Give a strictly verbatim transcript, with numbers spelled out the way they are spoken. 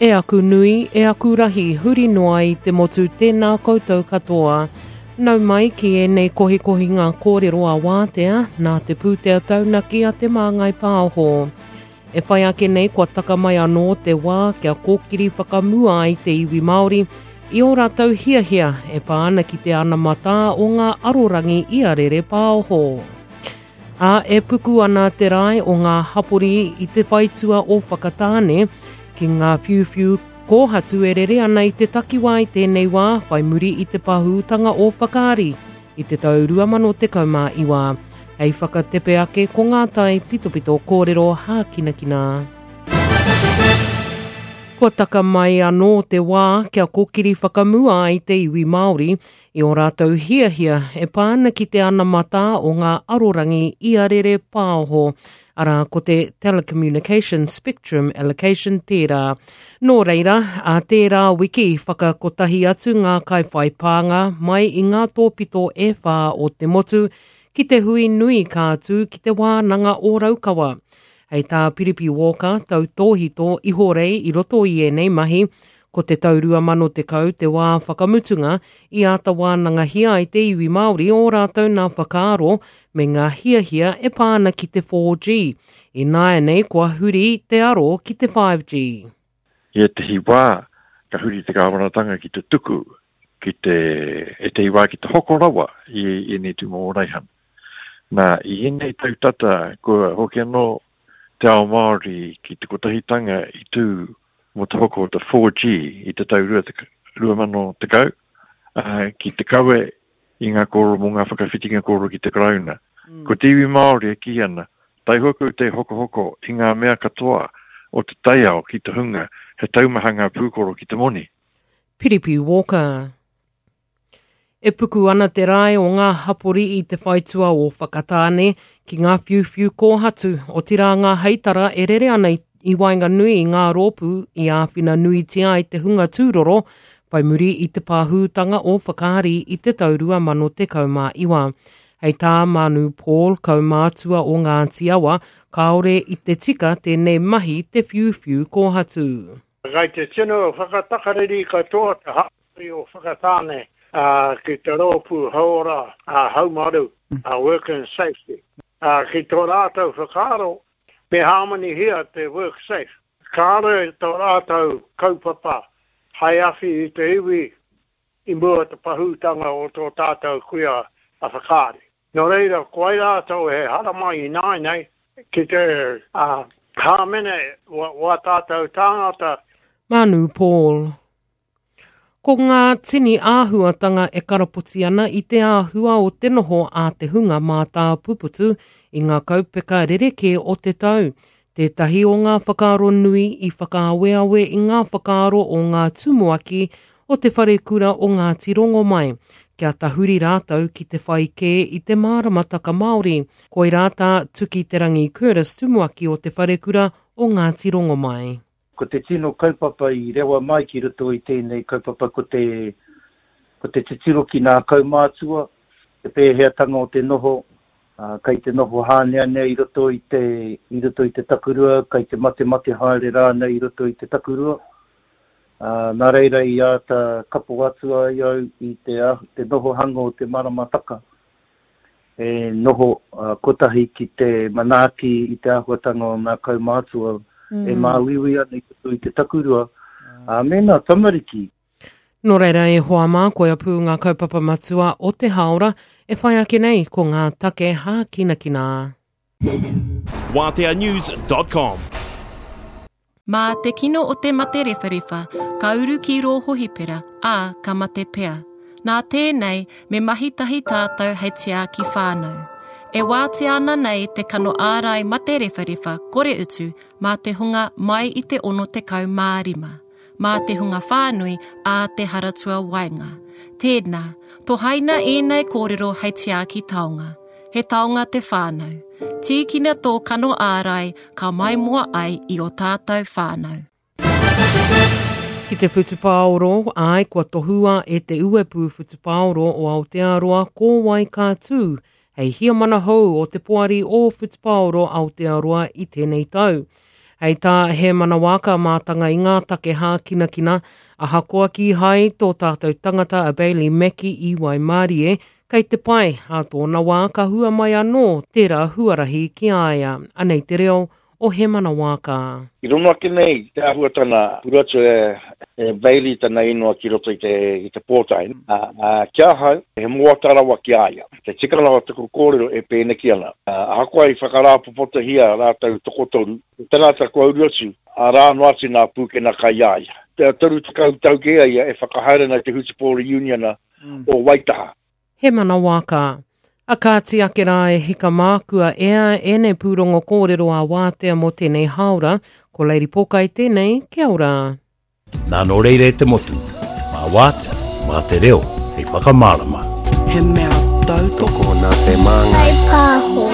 E aku nui, e aku rahi, huri noa i te motu tēnā koutou katoa. Nau mai ki ēnei kohikohi ngā kōrero a wātea, nā te pūtea taunaki a Te Māngai Pāho. E whai ake nei kua taka mai anō te wā kia kōkiri whakamua ai te iwi Māori i ō rātou hiahia e pā ana ki te anamatā o ngā arorangi i arere pāho. Ā, e puku ana te rae o ngā hapori i te whaitua o Whakatāne ki ngā whiuwhiu kōhatu e rere ana i te takiwā i tēnei wā whai muri i te pahūtanga o Whakaari i te tau rua mano tekau mā iwa. Hei whakatepe ake ko ngā tai pitopito kōrero hākinakina. Kua taka mai anō te wā kia kōkiri whakamua ai te iwi Māori i ō rātou hiahia e pā ana ki te anamatā o ngā arorangi i arere pāho, arā ko te Telecommunication Spectrum Allocation tērā. Nō reira, a tērā wiki whakakotahi atu ngā kaiwhai pānga mai i ngā tōpito e whā o te motu ki te hui nui ka tū ki te wānanga o Raukawa. Hei tā Piripi Walker, tautōhito ihorei i roto i ēnei mahi, ko te tau rua mano tekau te wā whakamutunga i āta wānangahia ai te iwi Māori o rātou nā whakaaro me ngā hiahia e pā ana ki te four G. Ināianei kua huri te aro ki te five G. I ētehi wā, ka huri te kāwanatanga ki te tuku, ki te, ētehi wā ki te hoko rawa i ēnei tūmomo raihana. Nā, i ēnei tau tata, kua hoki anō te ao Māori ki te kotahitanga i tū mō te hoko o te four G i te tau rua mano tekau, uh, ki te kawe i ngā kōrero mō ngā whakawhitinga kōrero ki te Karauna. Mm. Ko te iwi Māori e kī ana, taihoa te hokohoko i ngā mea katoa o te taiao ki te hunga, he taumaha ngā pūkoro ki te moni. Piripi Walker. E puku ana te rae o ngā hapori i te whaitua o Whakatāne ki ngā whiuwhiu kōhatu, otirā ngā heitara e rere ana i waenganui i ngā rōpū i āwhina nuitia ai te hunga tūroro, whai muri i te pāhūtanga o Whakaari i te tau rua mano tekau mā iwa. Hei tā Manu Paul, kaumātua o Ngāti Awa, kāore i te tika tēnei mahi te whiuwhiu kōhatu. Kai te tino whakatakariri katoa te hapori o Whakatāne, uh, ki te rōpū hauora, uh, haumaru, uh, work and safety. Uh, ki tō rātou whakaaro, me hāmanihia te work safe. Kāre tō rātou kaupapa hai awhi i te iwi i mua te pahūtanga o tō tātou kuia a Whakaari. Nō reira, ko ai rātou he haramai i nāianei ki te uh, hāmene wa, wa tātou tāngata. Manu Paul. Ko ngā tini āhuatanga e karapoti ana i te āhua o te noho a te hunga mātāpuputu i ngā kaupeka rerekē o te tau. Tētahi o ngā whakaaro nui i whakaaweawe i ngā whakaaro o ngā tumuaki o te wharekura o Ngāti Rongomai, kia tahuri rātou ki te whai kē i te māramataka Māori. Koirā tā Tuki Te Rangi Curtis tumuaki o te wharekura o Ngāti Rongomai. Ko te tino kaupapa i rewa mai ki roto i tēnei kaupapa ko te, ko te titiro ki ngā kaumātua, te pēheatanga o te noho, uh, kai te noho hāneanea i roto i te, i roto i te takurua, kai te matemate haere rānei i roto i te takurua. Uh, nā reira i āta kapo atu ai au i te, te nohohanga o te maramataka. E noho uh, kotahi ki te manaaki i te āhuatanga o ngā kaumātua, Mm. e māuiui ana i roto i te takurua, uh, me ngā tamariki. Nō reira e hoa mā, koia pū ngā kaupapa matua o te haora, e whai ake nei ko ngā take hākinakina. Wātea news dot com. Mā te kino o te mate rewharewha, ka uru ki rō hohipera, ā, ka mate pea. Nā tēnei, me mahi tahi tātou hei tiaki whānau. E wātea ana nei te kano ārai mate rewharewha kore utu mā te hunga mai i te ono tekau mā rima, mā te hunga whānui ā te haratua waenga. Tēnā, tohaina ēnei kōrero hei tiaki taonga. He taonga te whānau. Tīkina tō kano ārai ka maimoa ai i o tātou whānau. Ki te whutupaoro, ai kua tohua e te uepu whutupaoro o Aotearoa ko wai ka tū, hei hiamana hou o te poari o Whutupaoro Aotearoa i tēnei tau. Hei tā Hēmana Waaka mātanga i ngā take hākinakina, ahakoa kīhai tō tātou tangata a Bailey Mackie i Waimarie, kei te pai, ā tōna wā ka hua mai anō tērā huarahi ki a ia. Anei te reo o Hēmana Waaka. I rono ake nei te āhuatana uru atu e, e Bailey tana inoa ki roto i te, i te pōtae. A, a, ki ahau, he moata rawa ki a ia. Te tikanga o taku kōrero e pēneki ana. A, ahakoa i whakarāpopotohia rātou tokotoru, te tangata kua uru atu, arā noa atu nā pūkena kai a ia. Te toru tekau tau kē a ia e whakahaere ana i te Hutupōro Uniona o Waitaha. Hēmana Waaka. A kāti ake rā e hika mākua ea ēnei pūrongo kōrero a wātea mō tēnei hāora, ko Lady Pōkai tēnei, kia ora. Nā nō reira e te motu, mā wātea, mā te reo, hei whakamārama. He mea tautoko nā te māngai. Pāho.